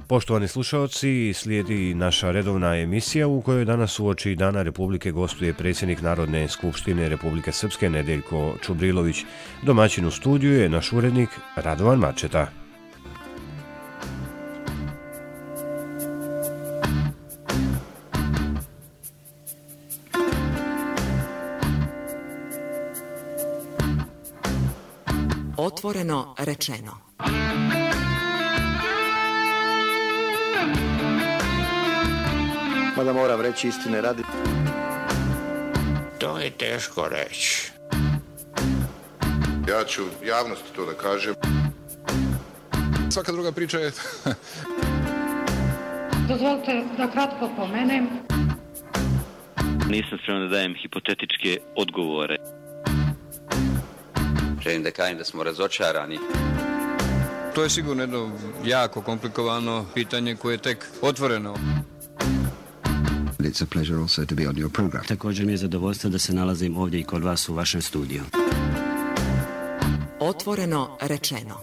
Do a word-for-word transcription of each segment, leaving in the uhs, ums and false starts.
Poštovani slušalci, slijedi naša redovna emisija u kojoj danas uoči Dana Republike gostuje predsjednik Narodne skupštine Republike Srpske Nedeljko Čubrilović. Domaćin u studiju je naš urednik Radovan Mačeta. Otvoreno rečeno. Mada moram reći istine radi. To je teško reći. Ja ću javnosti to da kažem. Svaka druga priča je... Dozvolite da kratko pomenem. Nisam spreman da dajem hipotetičke odgovore. Želim da kažem da smo razočarani. To je sigurno jedno jako komplikovano pitanje koje je tek otvoreno. It's a pleasure also to be on your program. Također mi je zadovoljstvo da se nalazim ovdje i kod vas u vašem studiju. Otvoreno rečeno.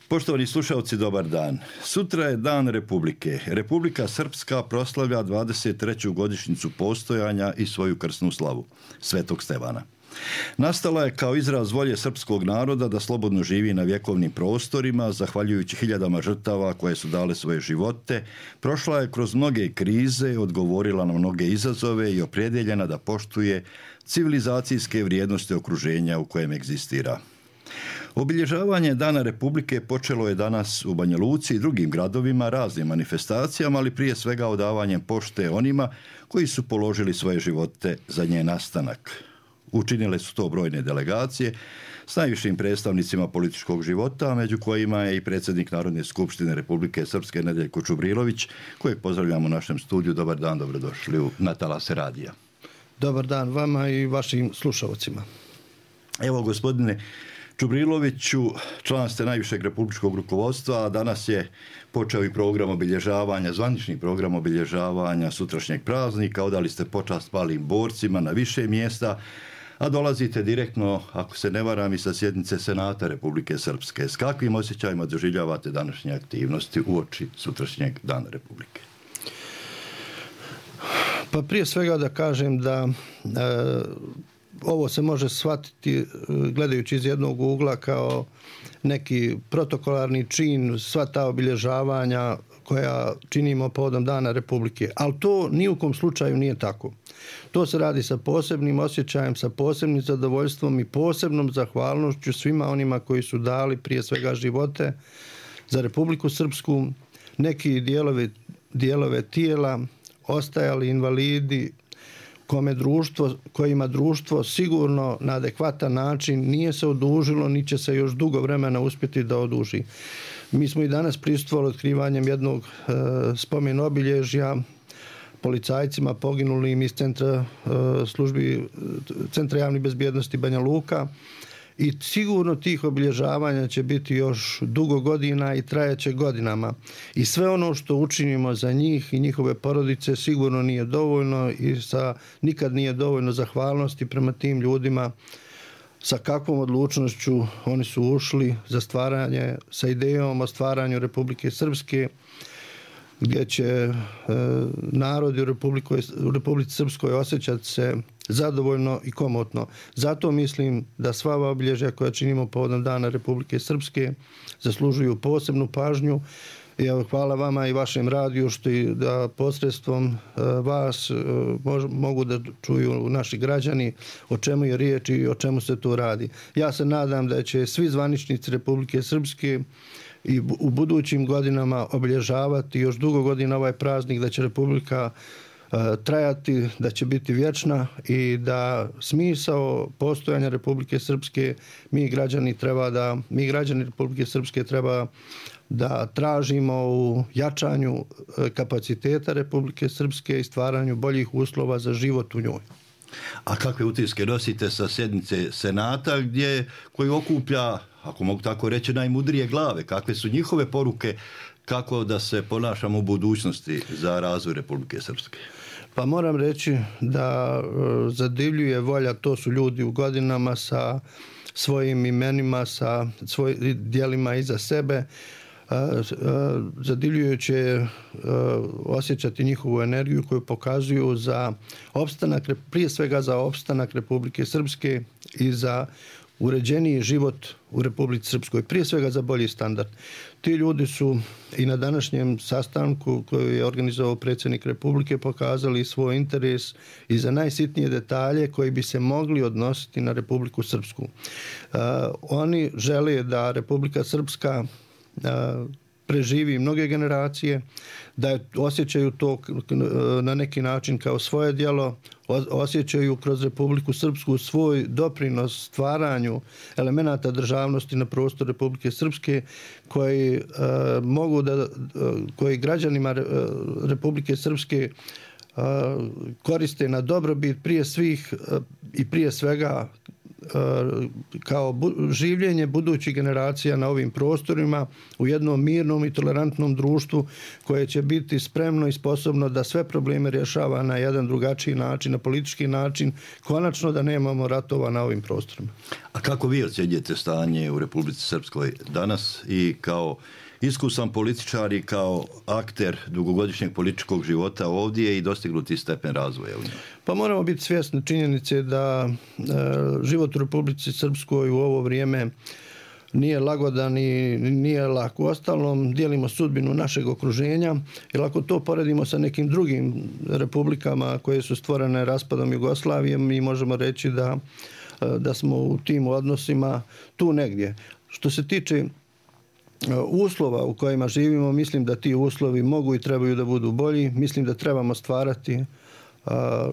Poštovani slušalci, dobar dan. Sutra je Dan Republike. Republika Srpska proslavlja dvadeset treću godišnjicu postojanja i svoju krsnu slavu, Svetog Stevana. Nastala je kao izraz volje srpskog naroda da slobodno živi na vjekovnim prostorima, zahvaljujući hiljadama žrtava koje su dale svoje živote. Prošla je kroz mnoge krize, odgovorila na mnoge izazove i opredjeljena da poštuje civilizacijske vrijednosti okruženja u kojem egzistira. Obilježavanje Dana Republike počelo je danas u Banja Luci i drugim gradovima raznim manifestacijama, ali prije svega odavanjem pošte onima koji su položili svoje živote za njen nastanak. Učinile su to brojne delegacije s najvišim predstavnicima političkog života, među kojima je i predsjednik Narodne skupštine Republike Srpske Nedeljko Čubrilović, kojeg pozdravljamo u našem studiju. Dobar dan, dobrodošli u Na talase radija. Dobar dan vama i vašim slušalcima. Evo, gospodine Čubriloviću, član ste najvišeg republičkog rukovodstva, a danas je počeo i program obilježavanja, zvanični program obilježavanja sutrašnjeg praznika. Odali ste počast palim borcima na više mjesta, a dolazite direktno, ako se ne varam, i sa sjednice Senata Republike Srpske. S kakvim osjećajima doživljavate današnje aktivnosti uoči sutrašnjeg Dana Republike? Pa prije svega da kažem da e, ovo se može shvatiti gledajući iz jednog ugla kao neki protokolarni čin, sva ta obilježavanja koja činimo povodom Dana Republike. Ali to ni u kom slučaju nije tako. To se radi sa posebnim osjećajem, sa posebnim zadovoljstvom i posebnom zahvalnošću svima onima koji su dali prije svega živote za Republiku Srpsku, neki dijelovi, dijelove tijela, ostajali invalidi, kome društvo, kojima društvo sigurno na adekvatan način nije se odužilo, ni će se još dugo vremena uspjeti da oduži. Mi smo i danas prisustvovali otkrivanjem jednog e, spomen obilježja policajcima poginulim iz centra e, službi Centra javne bezbjednosti Banja Luka. I sigurno tih obilježavanja će biti još dugo godina i trajaće godinama. I sve ono što učinimo za njih i njihove porodice sigurno nije dovoljno i sa, nikad nije dovoljno zahvalnosti prema tim ljudima sa kakvom odlučnošću oni su ušli za stvaranje, sa idejom o stvaranju Republike Srpske, gdje će e, narodi u, u Republici Srpskoj osjećati se zadovoljno i komotno. Zato mislim da sva ova obilježja koja činimo povodom Dana Republike Srpske zaslužuju posebnu pažnju. I evo, hvala vama i vašem radiju što i da posredstvom uh, vas uh, mož, mogu da čuju naši građani o čemu je riječ i o čemu se tu radi. Ja se nadam da će svi zvaničnici Republike Srpske i u budućim godinama obilježavati još dugo godina ovaj praznik, da će Republika trajati, da će biti vječna i da smisao postojanja Republike Srpske mi građani treba da mi građani Republike Srpske treba da tražimo u jačanju kapaciteta Republike Srpske i stvaranju boljih uslova za život u njoj. A kakve utiske nosite sa sjednice Senata gdje koji okuplja, ako mogu tako reći, najmudrije glave? Kakve su njihove poruke kako da se ponašamo u budućnosti za razvoj Republike Srpske? Pa moram reći da zadivljuje volja, to su ljudi u godinama sa svojim imenima, sa svojim djelima iza sebe. Zadivljujuće osjećati njihovu energiju koju pokazuju za opstanak, prije svega za opstanak Republike Srpske i za uređeniji život u Republici Srpskoj, prije svega za bolji standard. Ti ljudi su i na današnjem sastanku koji je organizovao predsjednik Republike pokazali svoj interes i za najsitnije detalje koji bi se mogli odnositi na Republiku Srpsku. Uh, oni žele da Republika Srpska uh, preživi mnoge generacije, da osjećaju to na neki način kao svoje djelo, osjećaju kroz Republiku Srpsku svoj doprinos stvaranju elemenata državnosti na prostoru Republike Srpske koji uh, mogu da, uh, koji građanima Republike Srpske uh, koriste na dobrobit prije svih uh, i prije svega kao bu- življenje budućih generacija na ovim prostorima u jednom mirnom i tolerantnom društvu koje će biti spremno i sposobno da sve probleme rješava na jedan drugačiji način, na politički način, konačno da nemamo ratova na ovim prostorima. A kako vi ocjenjujete stanje u Republici Srpskoj danas i kao iskusan političar i kao akter dugogodišnjeg političkog života ovdje i dostignuti stepen razvoja u njoj? Pa moramo biti svjesni činjenice da e, život u Republici Srpskoj u ovo vrijeme nije lagodan i nije lako. Uostalom, dijelimo sudbinu našeg okruženja, jer ako to poredimo sa nekim drugim republikama koje su stvorene raspadom Jugoslavije, mi možemo reći da, da smo u tim odnosima tu negdje. Što se tiče uslova u kojima živimo, mislim da ti uslovi mogu i trebaju da budu bolji. Mislim da trebamo stvarati a,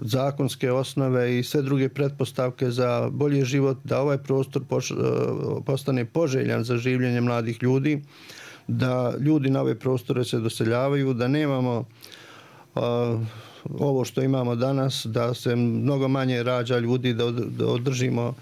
zakonske osnove i sve druge pretpostavke za bolji život, da ovaj prostor poš, a, postane poželjan za življenje mladih ljudi, da ljudi na ove prostore se doseljavaju, da nemamo a, ovo što imamo danas, da se mnogo manje rađa ljudi, da, od, da održimo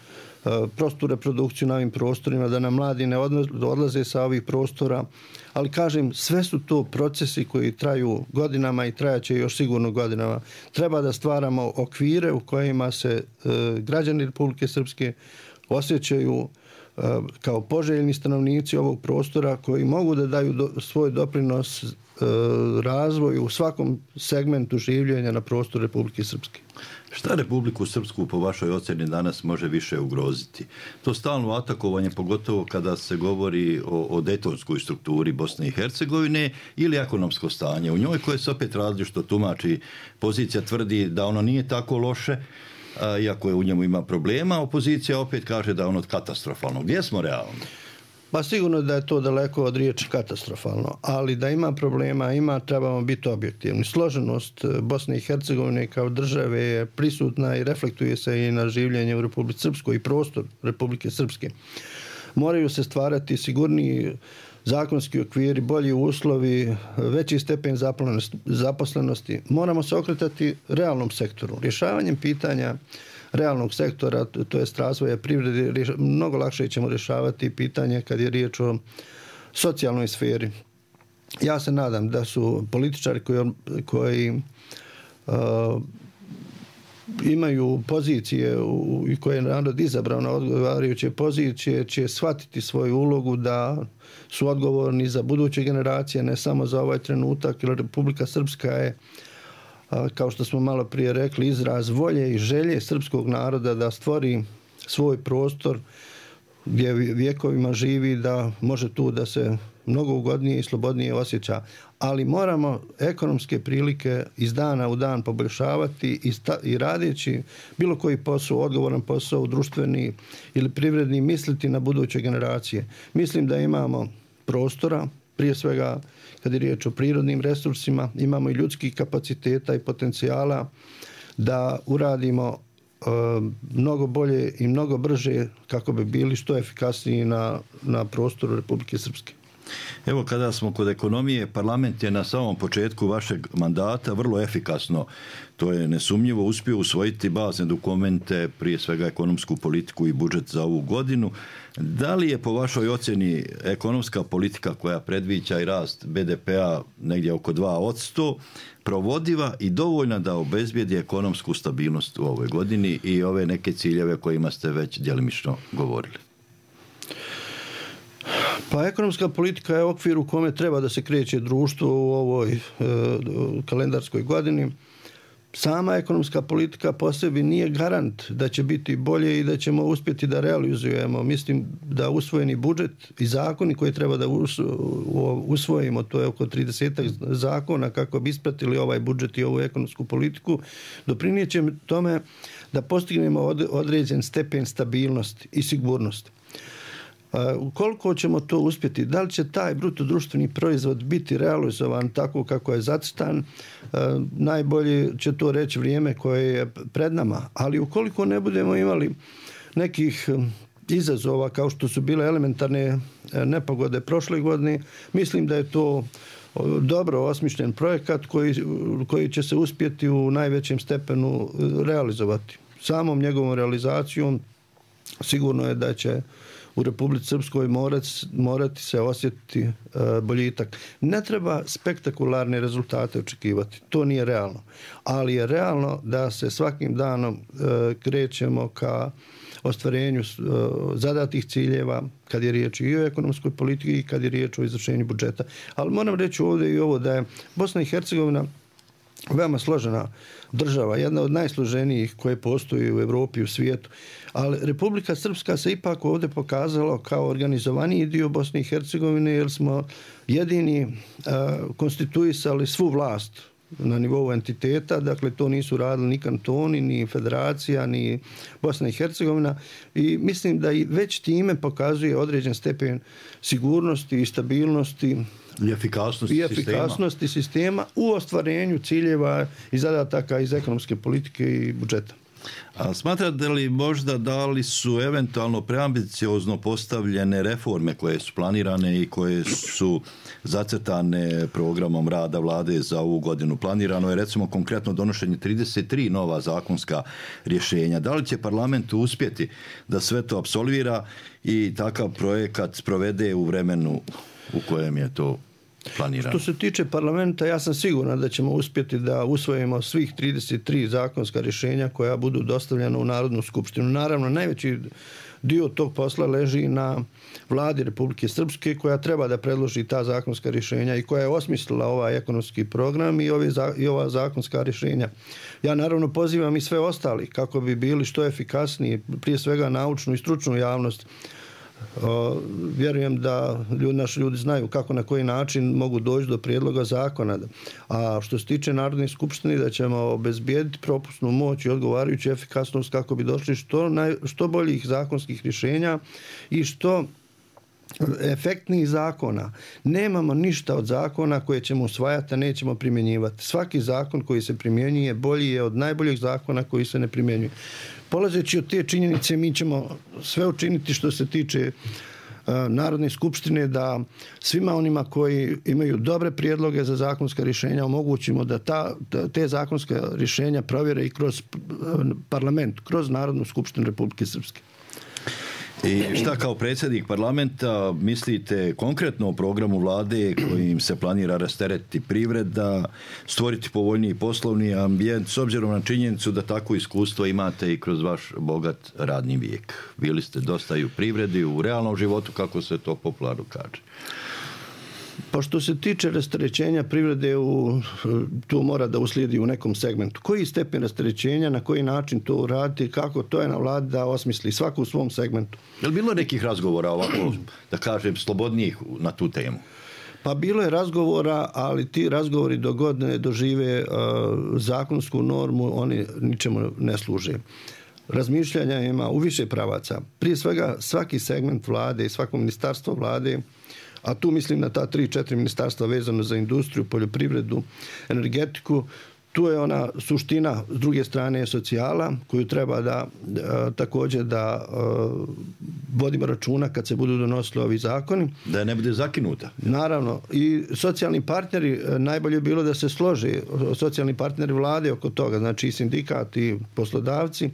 prostu reprodukciju na ovim prostorima, da nam mladi ne odlaze sa ovih prostora, ali kažem, sve su to procesi koji traju godinama i trajaće još sigurno godinama. Treba da stvaramo okvire u kojima se e, građani Republike Srpske osjećaju e, kao poželjni stanovnici ovog prostora koji mogu da daju do, svoj doprinos e, razvoju u svakom segmentu življenja na prostoru Republike Srpske. Šta Republiku Srpsku po vašoj ocjeni danas može više ugroziti? To stalno atakovanje, pogotovo kada se govori o, o dejtonskoj strukturi Bosne i Hercegovine ili ekonomsko stanje u njoj, koje se opet različito tumači. Pozicija tvrdi da ono nije tako loše, a, iako je u njemu ima problema, opozicija opet kaže da je ono katastrofalno. Gdje smo realni? Pa sigurno da je to daleko od riječi katastrofalno, ali da ima problema, ima, trebamo biti objektivni. Složenost Bosne i Hercegovine kao države je prisutna i reflektuje se i na življenje u Republici Srpskoj i prostor Republike Srpske. Moraju se stvarati sigurniji zakonski okviri, bolji uslovi, veći stepen zaposlenosti. Moramo se okretati realnom sektoru. Rješavanjem pitanja realnog sektora, to jest razvoja privrede, mnogo lakše ćemo rješavati pitanje kad je riječ o socijalnoj sferi. Ja se nadam da su političari koji, koji uh, imaju pozicije u, i koje je narod izabrao na odgovarajuće pozicije, će shvatiti svoju ulogu da su odgovorni za buduće generacije, ne samo za ovaj trenutak, jer Republika Srpska je, kao što smo malo prije rekli, izraz volje i želje srpskog naroda da stvori svoj prostor gdje vjekovima živi, da može tu da se mnogo ugodnije i slobodnije osjeća. Ali moramo ekonomske prilike iz dana u dan poboljšavati i, sta, i radeći bilo koji posao, odgovoran posao, društveni ili privredni, misliti na buduće generacije. Mislim da imamo prostora, prije svega kad je riječ o prirodnim resursima, imamo i ljudskih kapaciteta i potencijala da uradimo e, mnogo bolje i mnogo brže kako bi bili što efikasniji na, na prostoru Republike Srpske. Evo, kada smo kod ekonomije, parlament je na samom početku vašeg mandata vrlo efikasno, to je nesumnjivo, uspio usvojiti bazne dokumente, prije svega ekonomsku politiku i budžet za ovu godinu. Da li je po vašoj ocjeni ekonomska politika koja predviđa i rast be de pea negdje oko dva posto provodiva i dovoljna da obezbijedi ekonomsku stabilnost u ovoj godini i ove neke ciljeve kojima ste već djelimično govorili? Pa ekonomska politika je okvir u kome treba da se kreće društvo u ovoj e, kalendarskoj godini. Sama ekonomska politika po sebi nije garant da će biti bolje i da ćemo uspjeti da realizujemo. Mislim da usvojeni budžet i zakoni koje treba da usvojimo, to je oko trideset zakona kako bi ispratili ovaj budžet i ovu ekonomsku politiku, doprinijet će tome da postignemo određen stepen stabilnosti i sigurnosti. Koliko ćemo to uspjeti? Da li će taj bruto društveni proizvod biti realizovan tako kako je zacrtan? Najbolje će to reći vrijeme koje je pred nama. Ali ukoliko ne budemo imali nekih izazova kao što su bile elementarne nepogode prošle godine, mislim da je to dobro osmišljen projekat koji, koji će se uspjeti u najvećem stepenu realizovati. Samom njegovom realizacijom sigurno je da će u Republici Srpskoj morati, morati se osjetiti e, boljitak. Ne treba spektakularne rezultate očekivati, to nije realno. Ali je realno da se svakim danom e, krećemo ka ostvarenju e, zadatih ciljeva kad je riječ i o ekonomskoj politici i kad je riječ o izvršenju budžeta. Ali moram reći ovdje i ovo da je Bosna i Hercegovina veoma složena država, jedna od najsloženijih koje postoji u Europi i u svijetu. Ali Republika Srpska se ipak ovdje pokazala kao organizovaniji dio Bosne i Hercegovine jer smo jedini uh, konstituisali svu vlast na nivou entiteta, dakle to nisu radili ni kantoni, ni federacija, ni Bosna i Hercegovina i mislim da i već time pokazuje određen stepen sigurnosti i stabilnosti i efikasnosti, i efikasnosti sistema. sistema u ostvarenju ciljeva i zadataka iz ekonomske politike i budžeta. A smatrate li možda da li su eventualno preambiciozno postavljene reforme koje su planirane i koje su zacrtane programom rada vlade za ovu godinu? Planirano je recimo konkretno donošenje trideset tri nova zakonska rješenja. Da li će parlament uspjeti da sve to apsolvira i takav projekat sprovede u vremenu u kojem je to planirano? Što se tiče parlamenta, ja sam siguran da ćemo uspjeti da usvojimo svih trideset tri zakonska rješenja koja budu dostavljena u Narodnu skupštinu. Naravno, najveći dio tog posla leži na vladi Republike Srpske koja treba da predloži ta zakonska rješenja i koja je osmislila ovaj ekonomski program i, ove, i ova zakonska rješenja. Ja naravno pozivam i sve ostali kako bi bili što efikasniji, prije svega naučnu i stručnu javnost. O, vjerujem da ljudi, naši ljudi znaju kako na koji način mogu doći do prijedloga zakona. A što se tiče Narodne skupštine, da ćemo obezbijediti propusnu moć i odgovarajuću efikasnost kako bi došli što, naj, što boljih zakonskih rješenja i što efektnih zakona. Nemamo ništa od zakona koje ćemo usvajati, a nećemo primjenjivati. Svaki zakon koji se primjenjuje bolji je od najboljih zakona koji se ne primjenjuje. Polazeći od te činjenice, mi ćemo sve učiniti što se tiče uh, Narodne skupštine da svima onima koji imaju dobre prijedloge za zakonska rješenja omogućimo da ta, da te zakonska rješenja provjere i kroz uh, parlament, kroz Narodnu skupštinu Republike Srpske. I šta kao predsjednik parlamenta mislite konkretno o programu vlade kojim se planira rasteretiti privreda, stvoriti povoljniji poslovni ambijent s obzirom na činjenicu da takvo iskustvo imate i kroz vaš bogat radni vijek? Bili ste dosta i u privredi, u realnom životu, kako se to popularno kaže. Pa što se tiče rasterećenja privrede, u, to mora da uslijedi u nekom segmentu. Koji stepen rasterećenja, na koji način to uraditi, kako, to je na vladi da osmisli svako u svom segmentu. Je li bilo nekih razgovora ovako, da kažem, slobodnijih na tu temu? Pa bilo je razgovora, ali ti razgovori do godine dožive uh, zakonsku normu, oni ničemu ne služe. Razmišljanja ima u više pravaca. Prije svega svaki segment vlade i svako ministarstvo vlade, a tu mislim na ta tri, četiri ministarstva vezano za industriju, poljoprivredu, energetiku, tu je ona suština, s druge strane je socijala, koju treba da e, također da e, vodimo računa kad se budu donosili ovi zakoni. Da ne bude zakinuta. Naravno. I socijalni partneri, najbolje je bilo da se slože, socijalni partneri vlade oko toga, znači i sindikati, i poslodavci,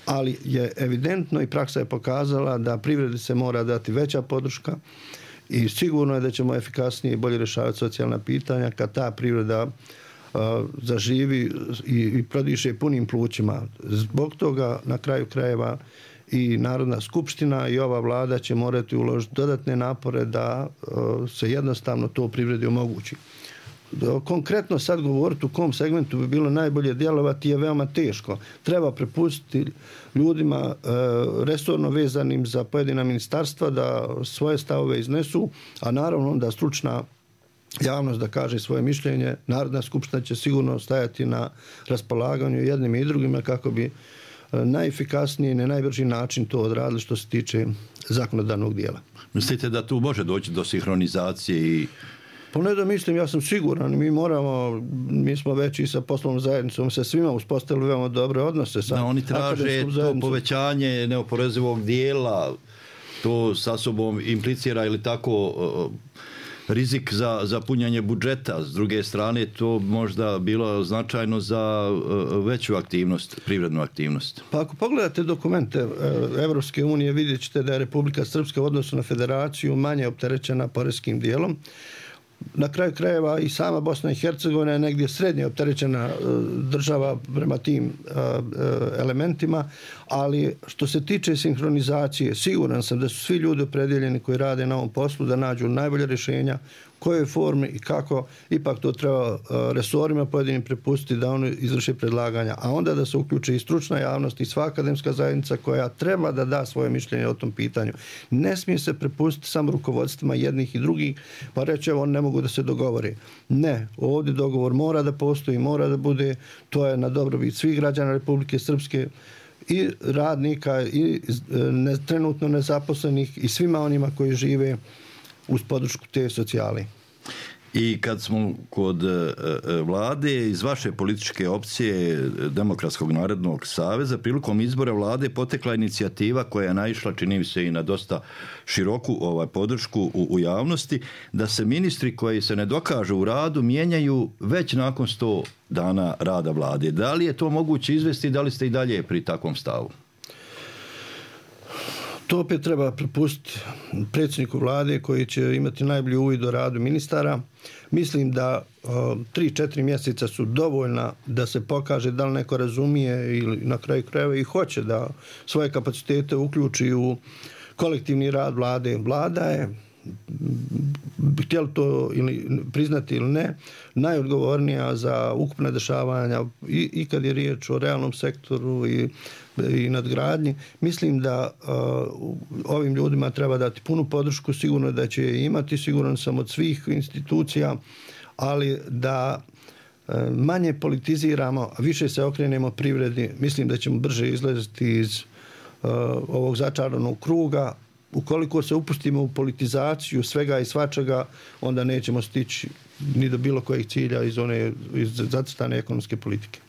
ali je evidentno i praksa je pokazala da privredi se mora dati veća podrška i sigurno je da ćemo efikasnije i bolje rješavati socijalna pitanja kad ta privreda zaživi i, i prodiše punim plućima. Zbog toga na kraju krajeva i Narodna skupština i ova vlada će morati uložiti dodatne napore da uh, se jednostavno to privredi omogući. Konkretno sad govoriti u kom segmentu bi bilo najbolje djelovati je veoma teško. Treba prepustiti ljudima uh, resorno vezanim za pojedina ministarstva da svoje stavove iznesu, a naravno da stručna javnost da kaže svoje mišljenje. Narodna skupština će sigurno stajati na raspolaganju jednim i drugima kako bi najefikasniji i na najbrži način to odradili što se tiče zakonodavnog dijela. Mislite da tu može doći do sinhronizacije i... Pa ne da mislim, ja sam siguran, mi moramo, mi smo već i sa poslovnom zajednicom sa svima uspostavili veoma dobre odnose. Sa da, oni traže to povećanje neoporezivog dijela, to sa sobom implicira ili tako... rizik za, za punjanje budžeta. S druge strane, to možda bilo značajno za veću aktivnost, privrednu aktivnost. Pa ako pogledate dokumente Evropske unije, vidjet ćete da je Republika Srpska u odnosu na federaciju manje opterećena poreskim dijelom. Na kraju krajeva i sama Bosna i Hercegovina je negdje srednje opterećena država prema tim elementima, ali što se tiče sinhronizacije, siguran sam da su svi ljudi opredjeljeni koji rade na ovom poslu da nađu najbolje rješenja, koje forme i kako, ipak to treba resorima pojedinim prepustiti da oni izvrše predlaganja, a onda da se uključi i stručna javnost i sva akademska zajednica koja treba da da svoje mišljenje o tom pitanju. Ne smije se prepustiti samo rukovodstvima jednih i drugih, pa reći evo, ne mogu da se dogovore. Ne, ovdje dogovor mora da postoji, mora da bude, to je na dobrobit svih građana Republike Srpske, i radnika, i ne, trenutno nezaposlenih, i svima onima koji žive uz podršku te socijale. I kad smo kod e, vlade, iz vaše političke opcije Demokratskog narodnog saveza, prilikom izbora vlade potekla inicijativa koja je naišla, čini mi se, i na dosta široku ovaj, podršku u, u javnosti, da se ministri koji se ne dokažu u radu mijenjaju već nakon sto dana rada vlade. Da li je to moguće izvesti, da li ste i dalje pri takvom stavu? To opet treba prepustiti predsjedniku vlade koji će imati najbolji uvid o radu ministara. Mislim da tri četiri mjeseca su dovoljna da se pokaže da li neko razumije ili na kraju krajeva i hoće da svoje kapacitete uključi u kolektivni rad vlade. Vlada je, htjeli to ili priznati ili ne, najodgovornija za ukupne dešavanja i, i kad je riječ o realnom sektoru i, i nadgradnji. Mislim da uh, ovim ljudima treba dati punu podršku, sigurno da će je imati, siguran sam od svih institucija, ali da uh, manje politiziramo, a više se okrenemo privredi, mislim da ćemo brže izlaziti iz uh, ovog začaranog kruga. Ukoliko se upustimo u politizaciju svega i svačega, onda nećemo stići ni do bilo kojih cilja iz one iz zacrtane ekonomske politike.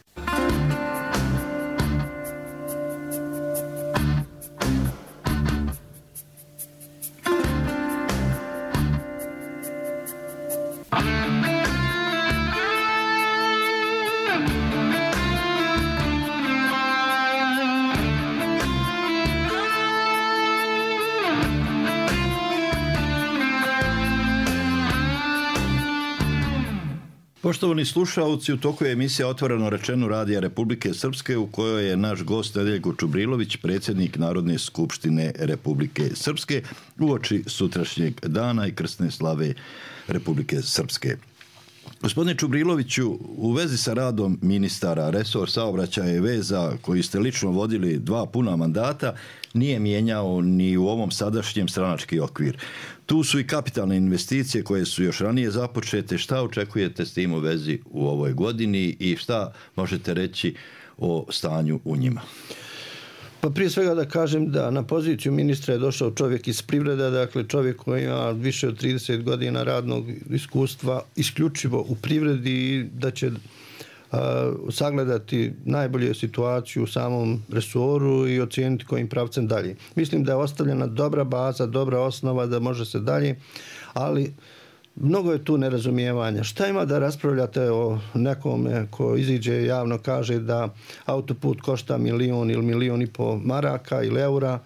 Poštovani slušalci, u toku je emisija Otvoreno rečeno Radija Republike Srpske u kojoj je naš gost Nedeljko Čubrilović, predsjednik Narodne skupštine Republike Srpske, uoči sutrašnjeg dana i krsne slave Republike Srpske. Gospodine Čubriloviću, u vezi sa radom ministara, resor saobraćaja i veza koji ste lično vodili dva puna mandata, nije mijenjao ni u ovom sadašnjem stranački okvir. Tu su i kapitalne investicije koje su još ranije započete. Šta očekujete s tim u vezi u ovoj godini i šta možete reći o stanju u njima? Pa prije svega da kažem da na poziciju ministra je došao čovjek iz privrede, dakle čovjek koji ima više od trideset godina radnog iskustva isključivo u privredi i da će sagledati najbolje situaciju u samom resoru i ocijeniti kojim pravcem dalje. Mislim da je ostavljena dobra baza, dobra osnova da može se dalje, ali mnogo je tu nerazumijevanja. Šta ima da raspravljate o nekome ko iziđe javno kaže da autoput košta milion ili milion i po maraka ili eura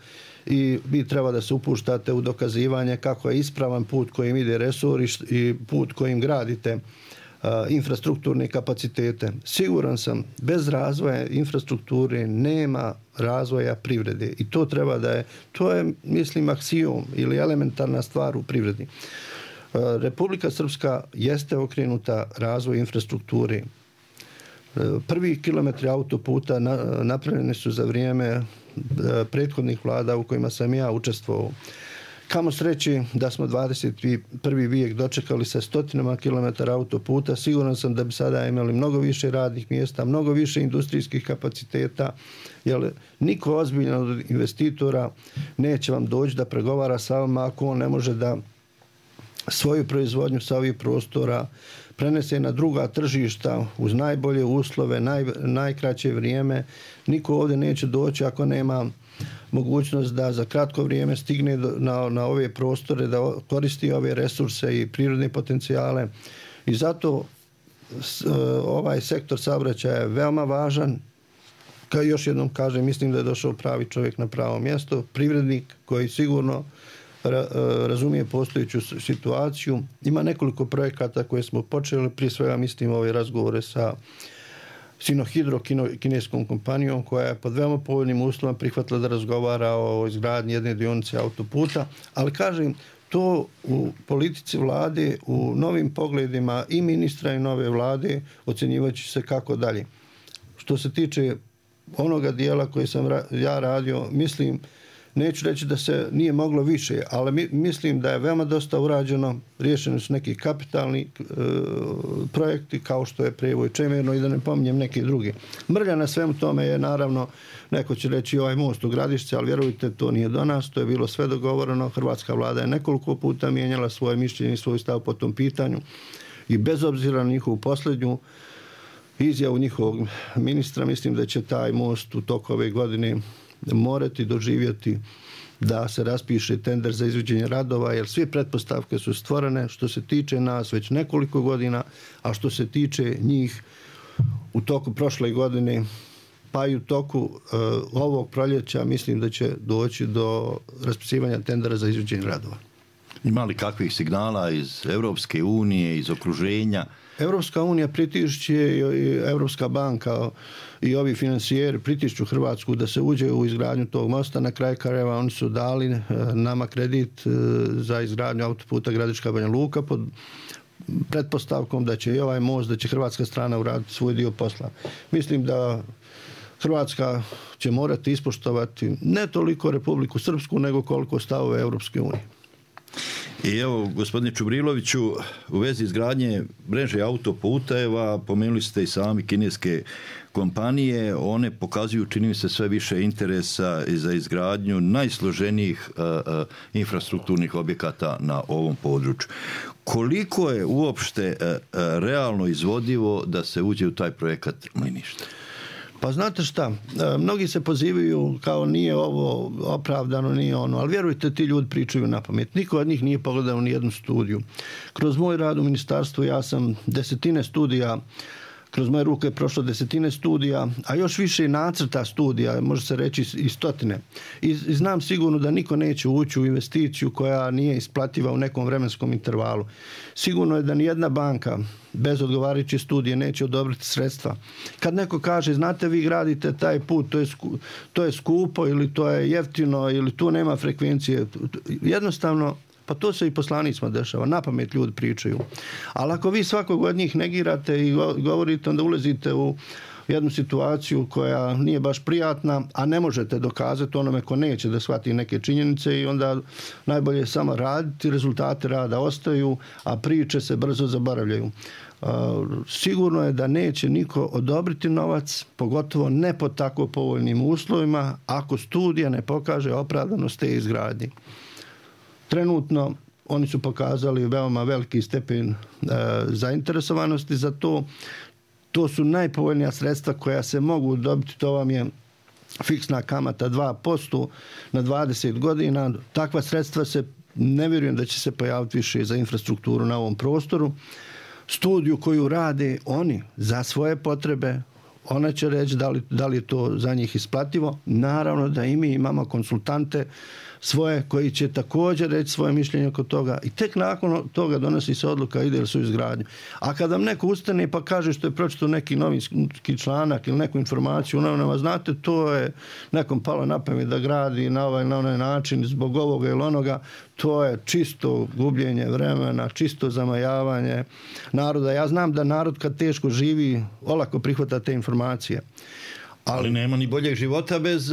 i vi treba da se upuštate u dokazivanje kako je ispravan put kojim ide resor i put kojim gradite uh, infrastrukturne kapacitete. Siguran sam, bez razvoja infrastrukture nema razvoja privrede i to treba da je, to je mislim aksiom ili elementarna stvar u privredi. Republika Srpska jeste okrenuta razvoju infrastrukture. Prvi kilometri autoputa napravljeni su za vrijeme prethodnih vlada u kojima sam ja učestvovao. Kamo sreći da smo dvadeset prvi vijek dočekali sa stotinama kilometara autoputa. Siguran sam da bi sada imali mnogo više radnih mjesta, mnogo više industrijskih kapaciteta, jer niko ozbiljan od investitora neće vam doći da pregovara sa vama ako on ne može da svoju proizvodnju sa ovih prostora prenese na druga tržišta uz najbolje uslove, naj, najkraće vrijeme. Niko ovdje neće doći ako nema mogućnost da za kratko vrijeme stigne na, na ove prostore, da koristi ove resurse i prirodne potencijale. I zato ovaj sektor saobraćaja je veoma važan. Kao još jednom kažem, mislim da je došao pravi čovjek na pravo mjesto, privrednik koji sigurno razumije postojeću situaciju. Ima nekoliko projekata koje smo počeli, prije svega mislim ove razgovore sa Sinohydro, kineskom kompanijom koja je pod veoma povoljnim uslovima prihvatila da razgovara o izgradnji jedne dionice autoputa, ali kažem, to u politici vlade, u novim pogledima i ministra i nove vlade ocjenjivaće se kako dalje. Što se tiče onoga dijela koji sam ja radio, mislim, neću reći da se nije moglo više, ali mi, mislim da je veoma dosta urađeno, riješeni su neki kapitalni e, projekti kao što je Prijevoj Čemerno i da ne pominjem neki drugi. Mrlja na svemu tome je naravno, neko će reći ovaj most u Gradišće, ali vjerujte, to nije do nas, to je bilo sve dogovoreno. Hrvatska vlada je nekoliko puta mijenjala svoje mišljenje i svoj stav po tom pitanju i bez obzira na njihovu posljednju izjavu njihovog ministra, mislim da će taj most u toku ove godine morati doživjeti da se raspiše tender za izvođenje radova, jer sve pretpostavke su stvorene što se tiče nas već nekoliko godina, a što se tiče njih u toku prošle godine, pa i u toku uh, ovog proljeća, mislim da će doći do raspisivanja tendera za izvođenje radova. Ima li kakvih signala iz Europske unije, iz okruženja? Europska unija pritišće i Europska banka i ovi financijeri pritišću Hrvatsku da se uđe u izgradnju tog mosta. Na kraju krajeva oni su dali nama kredit za izgradnju autoputa Gradiška Banja Luka pod pretpostavkom da će i ovaj most, da će hrvatska strana uraditi svoj dio posla. Mislim da Hrvatska će morati ispoštovati ne toliko Republiku Srpsku, nego koliko stavove Europske unije. I evo, gospodine Čubriloviću, u vezi izgradnje mreže autoputeva, pomenuli ste i sami kineske kompanije, one pokazuju, čini mi se, sve više interesa za izgradnju najsloženijih uh, uh, infrastrukturnih objekata na ovom području. Koliko je uopšte uh, uh, realno izvodivo da se uđe u taj projekat mliništa? Pa znate šta, mnogi se pozivaju kao nije ovo opravdano, nije ono, ali vjerujte, ti ljudi pričaju na pamet. Niko od njih nije pogledao ni jednu studiju. Kroz moj rad u ministarstvu ja sam desetine studija, kroz moje ruke je prošlo desetine studija, a još više nacrta studija, može se reći i stotine. I, i znam sigurno da niko neće ući u investiciju koja nije isplativa u nekom vremenskom intervalu. Sigurno je da nijedna banka bez odgovarajuće studije neće odobriti sredstva. Kad neko kaže, znate, vi gradite taj put, to je, sku, to je skupo ili to je jeftino ili tu nema frekvencije, jednostavno, pa to se i poslanicima dešava, na pamet ljudi pričaju. Ali ako vi svakog od njih negirate i govorite, onda ulazite u jednu situaciju koja nije baš prijatna, a ne možete dokazati onome ko neće da shvati neke činjenice i onda najbolje je samo raditi, rezultate rada ostaju, a priče se brzo zaboravljaju. Sigurno je da neće niko odobriti novac, pogotovo ne pod tako povoljnim uslovima, ako studija ne pokaže opravdanost te izgradnje. Trenutno oni su pokazali veoma veliki stepen e, zainteresovanosti za to. To su najpovoljnija sredstva koja se mogu dobiti, to vam je fiksna kamata dva posto na dvadeset godina. Takva sredstva se, ne vjerujem da će se pojaviti više za infrastrukturu na ovom prostoru. Studiju koju rade oni za svoje potrebe, ona će reći da li, da li je to za njih isplativo. Naravno da i mi imamo konsultante svoje koji će također reći svoje mišljenje oko toga i tek nakon toga donosi se odluka ide li su izgradnju. A kada vam neko ustane pa kaže što je pročitao neki novinski članak ili neku informaciju u novinama, znate, to je nekom palo na pamet da gradi na ovaj na onaj način zbog ovoga ili onoga, to je čisto gubljenje vremena, čisto zamajavanje naroda. Ja znam da narod kad teško živi olako prihvata te informacije. Ali, ali nema ni boljeg života bez,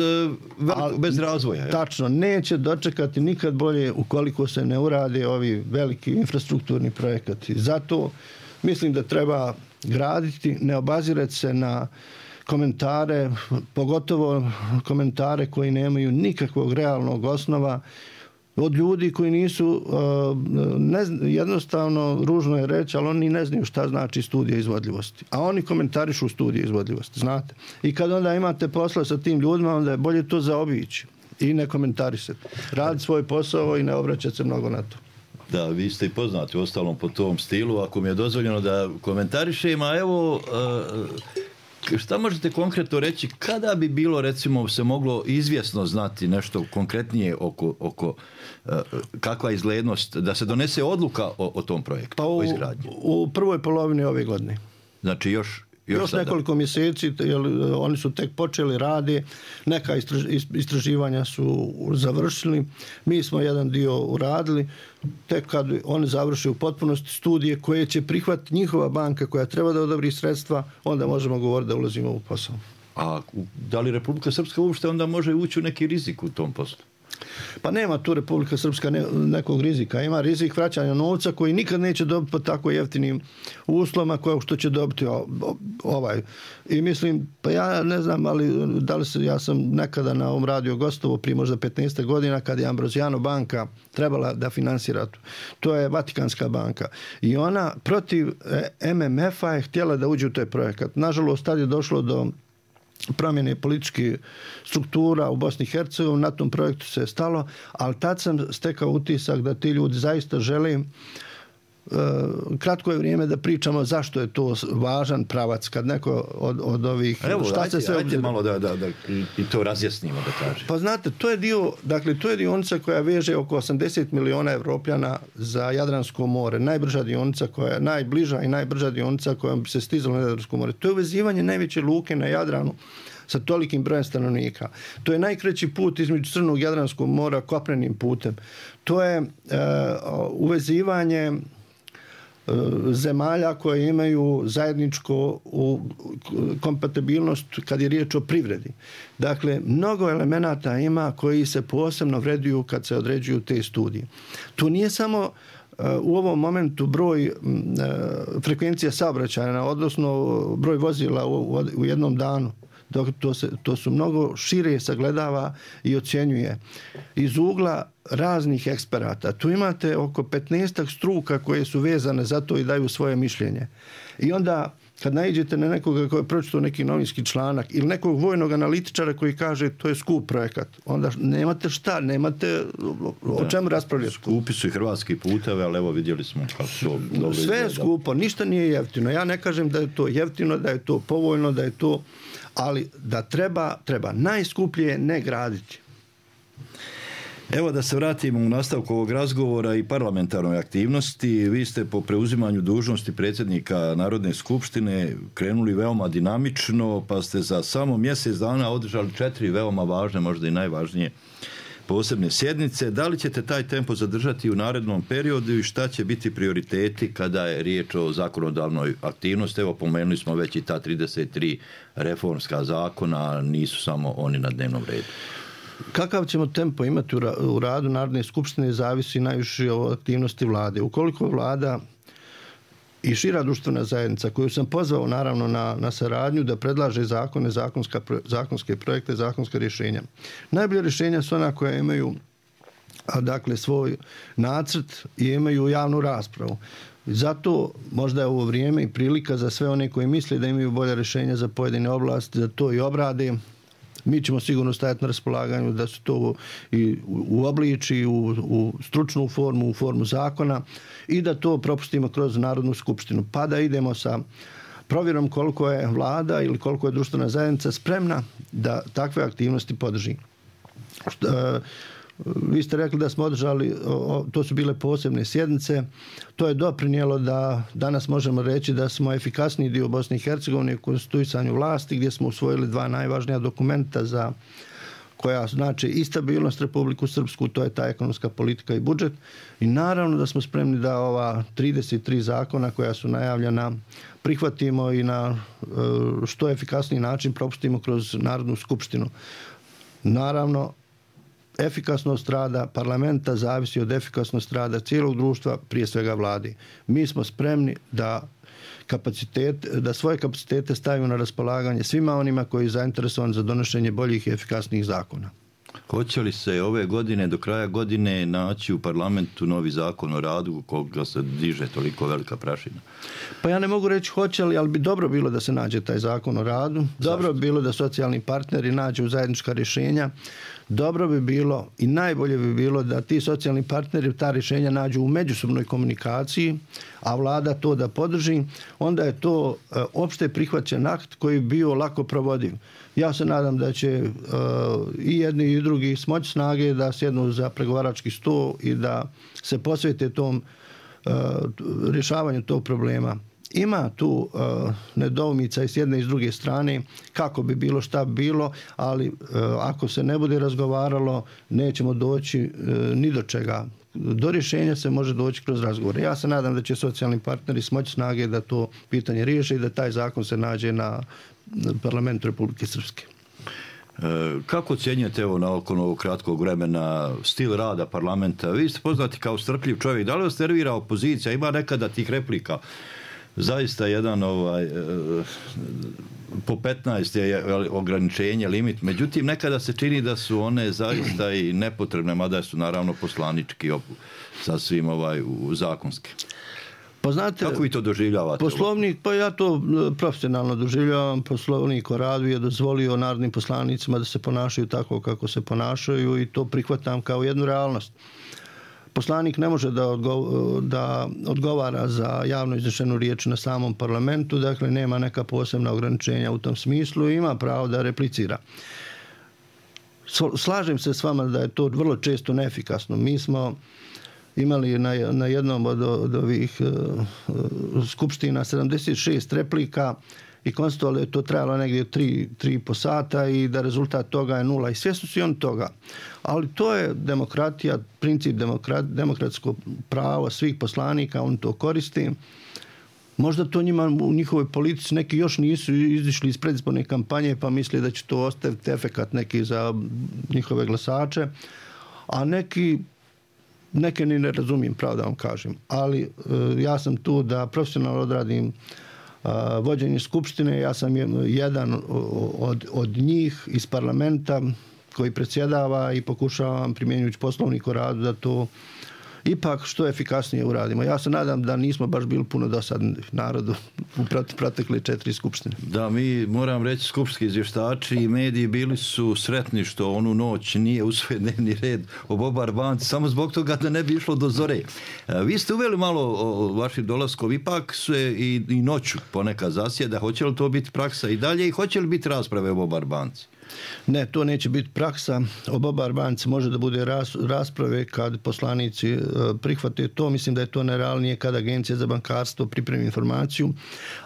veliko, bez razvoja. Je. Tačno, neće dočekati nikad bolje ukoliko se ne urade ovi veliki infrastrukturni projekati. Zato mislim da treba graditi, ne obazirati se na komentare, pogotovo komentare koji nemaju nikakvog realnog osnova, od ljudi koji nisu, ne, jednostavno, ružno je reći, ali oni ne znaju šta znači studija izvodljivosti. A oni komentarišu studije izvodljivosti, znate. I kad onda imate posla sa tim ljudima, onda je bolje to zaobići i ne komentarisati. Radi svoj posao i ne obraćati se mnogo na to. Da, vi ste i poznati u ostalom po tom stilu, ako mi je dozvoljeno da komentarišem, a evo... Šta možete konkretno reći, kada bi bilo, recimo, se moglo izvjesno znati nešto konkretnije oko, oko uh, kakva izglednost, da se donese odluka o, o tom projektu, pa u, o izgradnji? U prvoj polovini ove godine. Znači još... Još, još nekoliko mjeseci, jer oni su tek počeli radi, neka istraživanja su završili, mi smo jedan dio uradili, tek kad oni završe u potpunosti studije koje će prihvatiti njihova banka koja treba da odobri sredstva, onda možemo govoriti da ulazimo u posao. A da li Republika Srpska uopšte onda može ući u neki rizik u tom poslu? Pa nema tu Republika Srpska ne, nekog rizika. Ima rizik vraćanja novca koji nikad neće dobiti po tako jeftinim uslovima koje što će dobiti ovaj. I mislim, pa ja ne znam, ali da li se, ja sam nekada na ovom radiju gostovo prije možda petnaest godina kad je Ambrosiano banka trebala da finansira to. To je Vatikanska banka. I ona protiv M M F-a je htjela da uđe u taj projekat. Nažalost, tad je došlo do promjene političkih struktura u Bosni i Hercegovini, na tom projektu se je stalo, ali tad sam stekao utisak da ti ljudi zaista žele. Kratko je vrijeme da pričamo zašto je to važan pravac kad neko od, od ovih... Evo, šta ajde, se sve ajde malo da, da, da i to razjasnimo, da kažem. Pa znate, to je dio, dakle, to je dionica koja veže oko osamdeset miliona Evropljana za Jadransko more. Najbrža dionica koja je najbliža i najbrža dionica kojom bi se stizalo na Jadransko more. To je uvezivanje najveće luke na Jadranu sa tolikim brojem stanovnika. To je najkraći put između Crnog i Jadranskog mora kopnenim putem. To je uh, uvezivanje zemalja koje imaju zajedničko u kompatibilnost kad je riječ o privredi. Dakle, mnogo elemenata ima koji se posebno vreduju kad se određuju te studije. To nije samo u ovom momentu broj frekvencija saobraćaja, odnosno broj vozila u, u jednom danu. Dok to, se, to su mnogo šire sagledava i ocjenjuje iz ugla raznih eksperata. Tu imate oko petnaest struka koje su vezane za to i daju svoje mišljenje. I onda kad naiđete na nekoga koji je pročitao neki novinski članak ili nekog vojnog analitičara koji kaže to je skup projekat, onda nemate šta, nemate o čemu raspravljati. Skupi su i hrvatski putevi, ali evo vidjeli smo kako su... Sve je skupo, ništa nije jeftino. Ja ne kažem da je to jeftino, da je to povoljno, da je to... ali da treba, treba najskuplje ne graditi. Evo da se vratimo u nastavku ovog razgovora i parlamentarnoj aktivnosti. Vi ste po preuzimanju dužnosti predsjednika Narodne skupštine krenuli veoma dinamično, pa ste za samo mjesec dana održali četiri veoma važne, možda i najvažnije posebne sjednice. Da li ćete taj tempo zadržati u narednom periodu i šta će biti prioriteti kada je riječ o zakonodavnoj aktivnosti? Evo, pomenuli smo već i ta trideset tri reformska zakona, nisu samo oni na dnevnom redu. Kakav ćemo tempo imati u radu Narodne skupštine zavisi najviše od aktivnosti vlade. Ukoliko vlada i šira društvena zajednica, koju sam pozvao naravno na, na saradnju da predlaže zakone, zakonska, zakonske projekte, zakonske rješenja. Najbolje rješenja su ona koja imaju a, dakle svoj nacrt i imaju javnu raspravu. Zato možda je ovo vrijeme i prilika za sve one koji misle da imaju bolje rješenja za pojedine oblasti, da to i obrade. Mi ćemo sigurno stajati na raspolaganju da se to i uobliči u, u stručnu formu, u formu zakona i da to propustimo kroz Narodnu skupštinu. Pa da idemo sa provjerom koliko je vlada ili koliko je društvena zajednica spremna da takve aktivnosti podrži. Što, vi ste rekli da smo održali, to su bile posebne sjednice, to je doprinijelo da danas možemo reći da smo efikasniji dio Bosne i Hercegovine u konstituisanju vlasti, gdje smo usvojili dva najvažnija dokumenta za koja znači i stabilnost Republiku Srpsku, to je ta ekonomska politika i budžet. I naravno da smo spremni da ova trideset tri zakona koja su najavljena prihvatimo i na što efikasniji način propustimo kroz Narodnu skupštinu. Naravno, efikasnost rada parlamenta zavisi od efikasnosti rada cijelog društva, prije svega vladi. Mi smo spremni da kapacitet, da svoje kapacitete stavimo na raspolaganje svima onima koji su zainteresovani za donošenje boljih i efikasnijih zakona. Hoće li se ove godine, do kraja godine, naći u parlamentu novi zakon o radu koga se diže toliko velika prašina? Pa ja ne mogu reći hoće li, ali bi dobro bilo da se nađe taj zakon o radu. Dobro bi bilo da socijalni partneri nađu zajednička rješenja. Dobro bi bilo i najbolje bi bilo da ti socijalni partneri ta rješenja nađu u međusobnoj komunikaciji, a vlada to da podrži. Onda je to e, opšte prihvaćen akt koji bi bio lako provodiv. Ja se nadam da će uh, i jedni i drugi smoći snage da sjednu za pregovarački sto i da se posvete tom uh, rješavanju tog problema. Ima tu uh, nedoumica i s jedne i s druge strane kako bi bilo šta bilo, ali uh, ako se ne bude razgovaralo nećemo doći uh, ni do čega. Do rješenja se može doći kroz razgovore. Ja se nadam da će socijalni partneri smoći snage da to pitanje riješe i da taj zakon se nađe na parlamentu Republike Srpske. Kako ocjenjujete evo nakon ovog kratkog vremena stil rada parlamenta? Vi ste poznati kao strpljiv čovjek. Da li vas nervira opozicija? Ima nekada tih replika. Zaista jedan ovaj, po petnaest je ograničenje, limit. Međutim, nekada se čini da su one zaista i nepotrebne, mada su naravno poslanički sasvim ovaj, zakonske. Pa znate, kako vi to doživljavate? Poslovnik, pa ja to profesionalno doživljavam. Poslovnik o radu je dozvolio narodnim poslanicima da se ponašaju tako kako se ponašaju i to prihvatam kao jednu realnost. Poslanik ne može da, odgo, da odgovara za javno iznešenu riječ na samom parlamentu, dakle nema neka posebna ograničenja u tom smislu i ima pravo da replicira. Slažem se s vama da je to vrlo često neefikasno. Mi smo imali na, na jednom od, od ovih uh, skupština sedamdeset šest replika i konstatovali je to trajalo negdje tri, tri i po sata i da rezultat toga je nula. I svjesni su i oni toga. Ali to je demokratija, princip demokrat, demokratsko pravo svih poslanika, on to koristi. Možda to njima u njihovoj politici neki još nisu izišli iz predizborne kampanje pa misle da će to ostaviti efekat neki za njihove glasače, a neki neke ni ne razumijem, pravo da vam kažem. Ali e, ja sam tu da profesionalno odradim a, vođenje skupštine. Ja sam jedan od, od njih iz parlamenta koji predsjedava i pokušavam primjenjujući poslovnik o radu da to ipak što efikasnije uradimo. Ja se nadam da nismo baš bili puno dosadni narodu u protekle četiri skupštine. Da, mi moram reći skupštinski izvještači i mediji bili su sretni što onu noć nije usvojen dnevni red o Bobar banci, samo zbog toga da ne bi išlo do zore. Vi ste uveli malo o vašim dolaskom, ipak se i, i noću ponekad zasjeda. Hoće li to biti praksa i dalje i hoće li biti rasprave o Bobar banci? Ne, to neće biti praksa. O Bobar banci može da bude ras, rasprave kad poslanici e, prihvate to. Mislim da je to nerealnije kad Agencija za bankarstvo pripremi informaciju.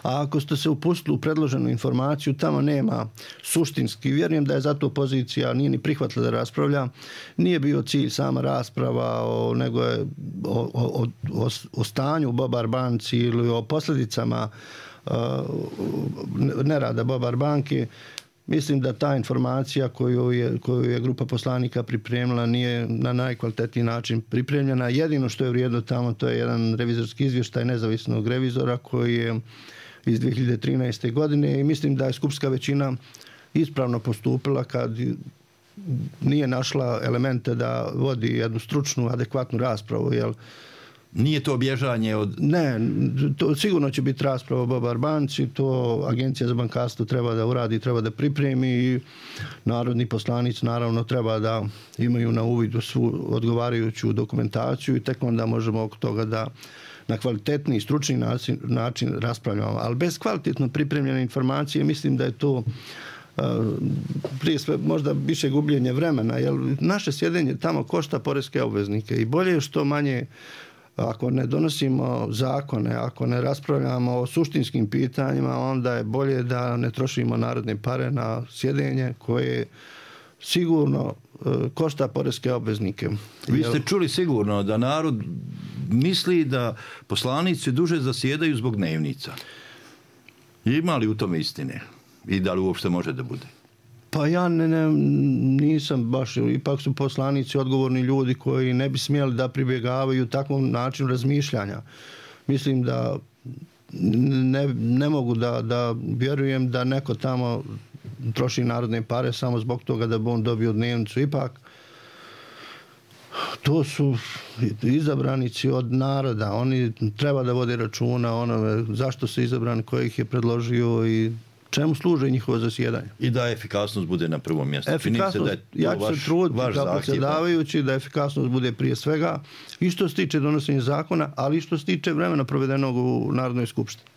A ako ste se upustili u predloženu informaciju, tamo nema suštinski. Vjerujem da je zato opozicija nije ni prihvatila da raspravlja. Nije bio cilj sama rasprava, o, nego je o, o, o, o stanju u Bobar banci ili o posljedicama e, nerada Bobar banke. Mislim da ta informacija koju je, koju je grupa poslanika pripremila nije na najkvalitetniji način pripremljena. Jedino što je vrijedno tamo to je jedan revizorski izvještaj nezavisnog revizora koji je iz dvije hiljade trinaeste. godine i mislim da je skupštinska većina ispravno postupila kad nije našla elemente da vodi jednu stručnu, adekvatnu raspravu, jer Nije to bježanje od... Ne, to sigurno će biti rasprava o Babar banci, to Agencija za bankarstvo treba da uradi, treba da pripremi i narodni poslanici naravno treba da imaju na uvidu svu odgovarajuću dokumentaciju i tek onda možemo oko toga da na kvalitetni i stručni način, način raspravljamo. Ali bez kvalitetno pripremljene informacije mislim da je to Uh, prije sve možda više gubljenje vremena, jer naše sjedenje tamo košta poreske obveznike i bolje je što manje, ako ne donosimo zakone, ako ne raspravljamo o suštinskim pitanjima, onda je bolje da ne trošimo narodne pare na sjedenje koje sigurno uh, košta poreske obveznike. Vi ste čuli sigurno da narod misli da poslanici duže zasjedaju zbog dnevnica. Ima li u tome istine? I da li uopšte može da bude? Pa ja ne, ne, nisam baš, ipak su poslanici odgovorni ljudi koji ne bi smjeli da pribjegavaju takvom načinu razmišljanja. Mislim da ne, ne mogu da, da vjerujem da neko tamo troši narodne pare samo zbog toga da bi on dobio dnevnicu. Ipak to su izabranici od naroda. Oni treba da vode računa onome zašto su izabrani, ko ih je predložio i čemu služe njihovo zasjedanje. I da efikasnost bude na prvom mjestu. Efikasnost, da je ja ću se truditi kao predsjedavajući da efikasnost bude prije svega i što se tiče donošenja zakona, ali i što se tiče vremena provedenog u Narodnoj skupštini.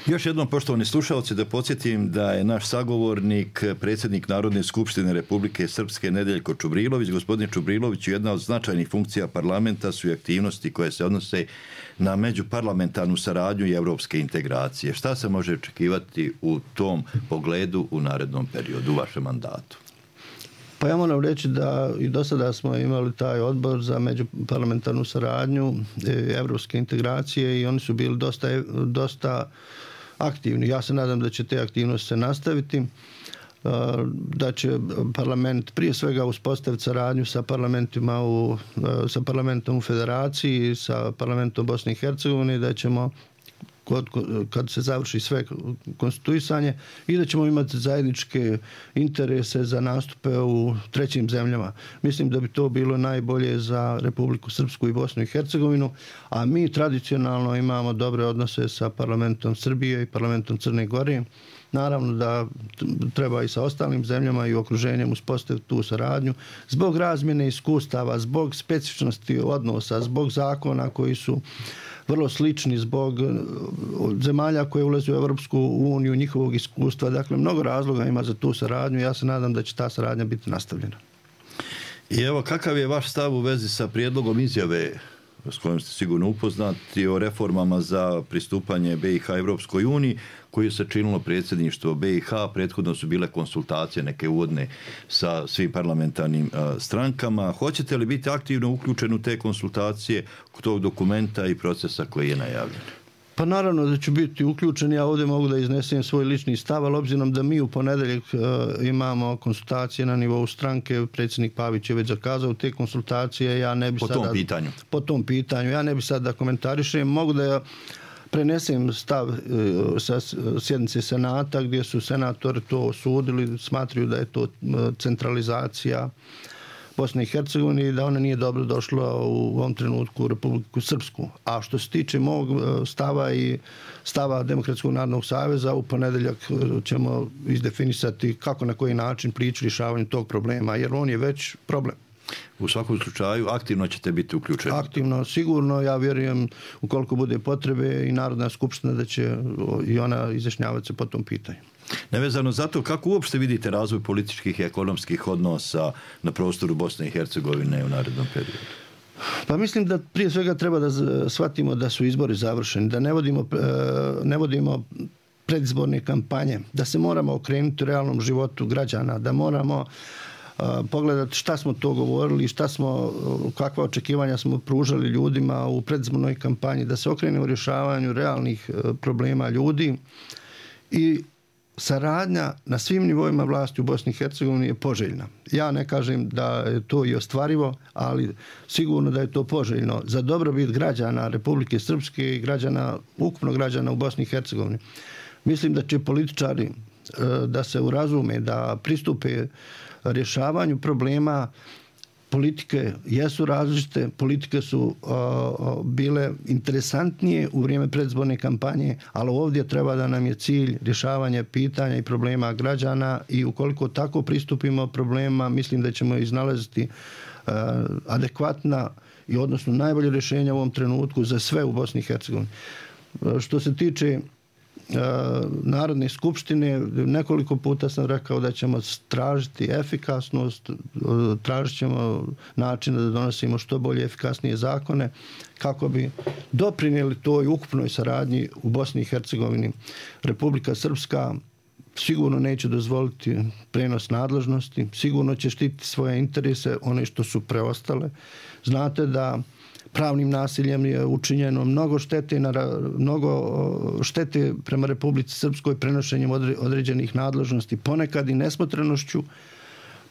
Još jednom, poštovani slušalci, da podsjetim da je naš sagovornik, predsjednik Narodne skupštine Republike Srpske Nedeljko Čubrilović. Gospodin Čubrilović, jedna od značajnih funkcija parlamenta su i aktivnosti koje se odnose na međuparlamentarnu saradnju i evropske integracije. Šta se može očekivati u tom pogledu u narednom periodu, u vašem mandatu? Pa ja moram reći da i do sada smo imali taj odbor za međuparlamentarnu saradnju, evropske integracije i oni su bili dosta, dosta aktivni. Ja se nadam da će te aktivnosti se nastaviti, da će parlament prije svega uspostaviti saradnju sa parlamentima u, sa parlamentom u Federaciji, sa parlamentom Bosne i Hercegovine, da ćemo kad se završi sve konstituisanje i da ćemo imati zajedničke interese za nastupe u trećim zemljama. Mislim da bi to bilo najbolje za Republiku Srpsku i Bosnu i Hercegovinu, a mi tradicionalno imamo dobre odnose sa parlamentom Srbije i parlamentom Crne Gore. Naravno da treba i sa ostalim zemljama i okruženjem uspostaviti tu saradnju zbog razmjene iskustava, zbog specifičnosti odnosa, zbog zakona koji su vrlo slični, zbog zemalja koje ulaze u Europsku uniju, njihovog iskustva. Dakle, mnogo razloga ima za tu saradnju i ja se nadam da će ta saradnja biti nastavljena. I evo, kakav je vaš stav u vezi sa prijedlogom izjave s kojom ste sigurno upoznati o reformama za pristupanje B i H Evropskoj uniji, koju se činilo predsjedništvo B i H. Prethodno su bile konsultacije neke uvodne sa svim parlamentarnim a, strankama. Hoćete li biti aktivno uključeni u te konsultacije, tog dokumenta i procesa koji je najavljen? Pa naravno da ću biti uključen. Ja ovdje mogu da iznesem svoj lični stav, ali obzirom da mi u ponedeljak uh, imamo konsultacije na nivou stranke, predsjednik Pavić je već zakazao te konsultacije, ja ne bi po sada... Po tom pitanju? Po tom pitanju. Ja ne bi sad da komentarišem. Mogu da ja prenesem stav uh, sa sjednice Senata, gdje su senatori to osudili, smatraju da je to uh, centralizacija Bosne i Hercegovine i da ona nije dobro došla u ovom trenutku u Republiku Srpsku. A što se tiče mog stava i stava Demokratskog narodnog saveza, u ponedeljak ćemo izdefinisati kako na koji način prići rješavanju tog problema, jer on je već problem. U svakom slučaju aktivno ćete biti uključeni? Aktivno, sigurno. Ja vjerujem ukoliko bude potrebe i Narodna skupština da će i ona izjašnjavati se po tom pitanju. Nevezano za to, kako uopšte vidite razvoj političkih i ekonomskih odnosa na prostoru Bosne i Hercegovine u narednom periodu? Pa mislim da prije svega treba da shvatimo da su izbori završeni, da ne vodimo, ne vodimo predizborne kampanje, da se moramo okrenuti realnom životu građana, da moramo pogledati šta smo to govorili, šta smo, kakva očekivanja smo pružali ljudima u predizbornoj kampanji, da se okrenemo u rješavanju realnih problema ljudi i saradnja na svim nivoima vlasti u Bosni i Hercegovini je poželjna. Ja ne kažem da je to i ostvarivo, ali sigurno da je to poželjno za dobrobit građana Republike Srpske i građana, ukupno građana u Bosni i Hercegovini. Mislim da će političari da se urazume, da pristupe rješavanju problema politike jesu različite, politike su a, a, bile interesantnije u vrijeme predizborne kampanje, ali ovdje treba da nam je cilj rješavanje pitanja i problema građana i ukoliko tako pristupimo problema, mislim da ćemo iznalaziti a, adekvatna i odnosno najbolje rješenja u ovom trenutku za sve u Bosni i Hercegovini. Što se tiče Narodne skupštine, nekoliko puta sam rekao da ćemo tražiti efikasnost, tražit ćemo način da donosimo što bolje efikasnije zakone kako bi doprinijeli toj ukupnoj saradnji u Bosni i Hercegovini. Republika Srpska sigurno neće dozvoliti prenos nadležnosti, sigurno će štititi svoje interese, one što su preostale. Znate da pravnim nasiljem je učinjeno mnogo štete, mnogo štete prema Republici Srpskoj prenošenjem određenih nadležnosti, ponekad i nesmotrenošću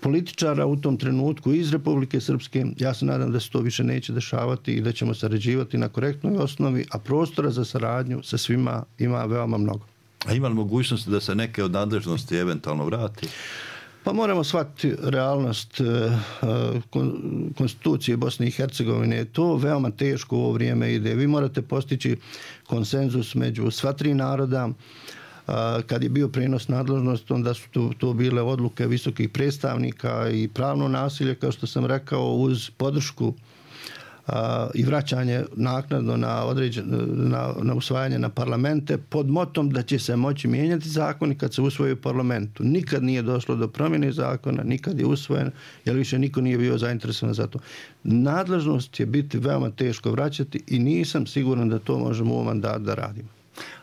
političara u tom trenutku iz Republike Srpske. Ja se nadam da se to više neće dešavati i da ćemo sarađivati na korektnoj osnovi, a prostora za saradnju sa svima ima veoma mnogo. A ima li mogućnosti da se neke od nadležnosti eventualno vrati? Pa moramo shvatiti realnost konstitucije Bosne i Hercegovine. To veoma teško u ovo vrijeme ide. Vi morate postići konsenzus među sva tri naroda. Kad je bio prenos nadležnosti, onda su to, to bile odluke visokih predstavnika i pravno nasilje, kao što sam rekao, uz podršku i vraćanje naknadno na, određen, na, na usvajanje na parlamente pod motom da će se moći mijenjati zakoni kad se usvoji u parlamentu. Nikad nije došlo do promjene zakona, nikad je usvojen, jer više niko nije bio zainteresovan za to. Nadležnost će biti veoma teško vraćati i nisam siguran da to možemo u ovom mandatu da radimo.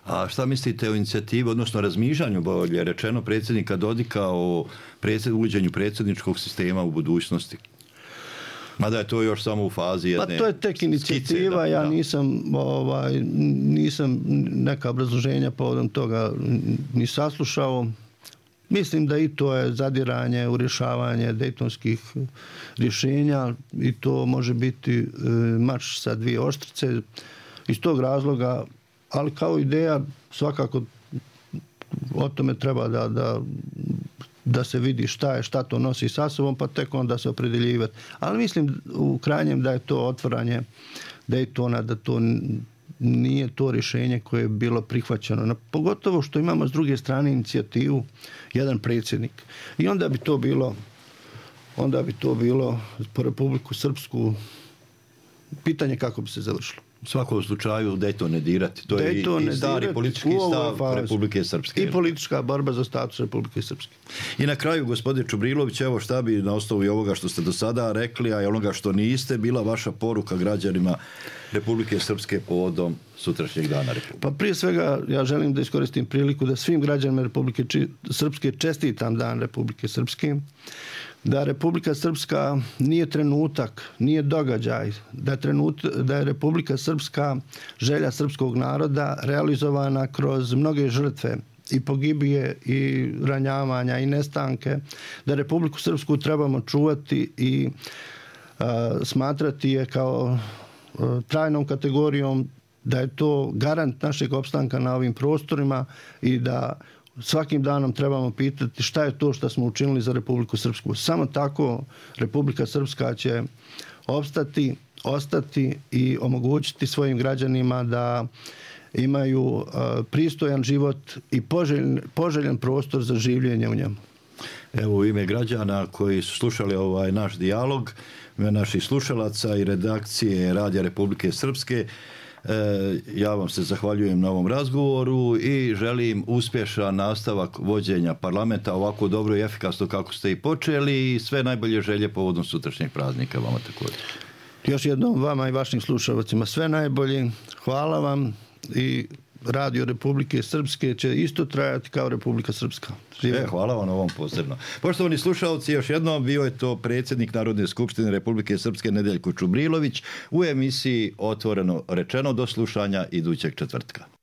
A šta mislite o inicijativi, odnosno razmišljanju, bolje rečeno, predsjednika Dodika o predsjed, uvođenju predsjedničkog sistema u budućnosti? Mada je to još samo u fazi jedne Pa to je tek inicijativa, skice, da, ja da. nisam, ovaj, nisam neka obrazloženja povodom toga ni saslušao. Mislim da i to je zadiranje u rješavanje dejtonskih rješenja i to može biti e, mač sa dvije oštrice. Iz tog razloga, ali kao ideja svakako o tome treba da, da da se vidi šta je, šta to nosi sa sobom, pa tek onda se opredeljivati. Ali mislim u krajnjem da je to otvaranje Daytona, da to nije to rješenje koje je bilo prihvaćeno. Pogotovo što imamo s druge strane inicijativu jedan predsjednik. I onda bi to bilo onda bi to bilo po Republiku Srpsku pitanje kako bi se završilo. U svakom slučaju Dayton ne dirati. To je i, i stari politički stav Republike Srpske. I politička borba za status Republike Srpske. I na kraju, gospodine Čubrilović, evo šta bi na osnovu i ovoga što ste do sada rekli, a i onoga što niste, bila vaša poruka građanima Republike Srpske povodom sutrašnjeg dana Republike? Pa prije svega ja želim da iskoristim priliku da svim građanima Republike Srpske čestitam dan Republike Srpske, da Republika Srpska nije trenutak, nije događaj, da je, trenut, da je Republika Srpska želja srpskog naroda realizovana kroz mnoge žrtve i pogibije i ranjavanja i nestanke, da Republiku Srpsku trebamo čuvati i a, smatrati je kao a, trajnom kategorijom, da je to garant našeg opstanka na ovim prostorima i da svakim danom trebamo pitati šta je to što smo učinili za Republiku Srpsku. Samo tako Republika Srpska će opstati, ostati i omogućiti svojim građanima da imaju uh, pristojan život i poželjen, poželjen prostor za življenje u njemu. Evo u ime građana koji su slušali ovaj naš dijalog, naših slušalaca i redakcije Radija Republike Srpske, ja vam se zahvaljujem na ovom razgovoru i želim uspješan nastavak vođenja parlamenta ovako dobro i efikasno kako ste i počeli i sve najbolje želje povodom sutrašnjeg praznika vama također. Još jednom vama i vašim slušalcima sve najbolje. Hvala vam i Radio Republike Srpske će isto trajati kao Republika Srpska. E, hvala vam ovom posebno. Poštovani slušalci, još jednom bio je to predsjednik Narodne skupštine Republike Srpske Nedeljko Čubrilović u emisiji Otvoreno rečeno. Do slušanja idućeg četvrtka.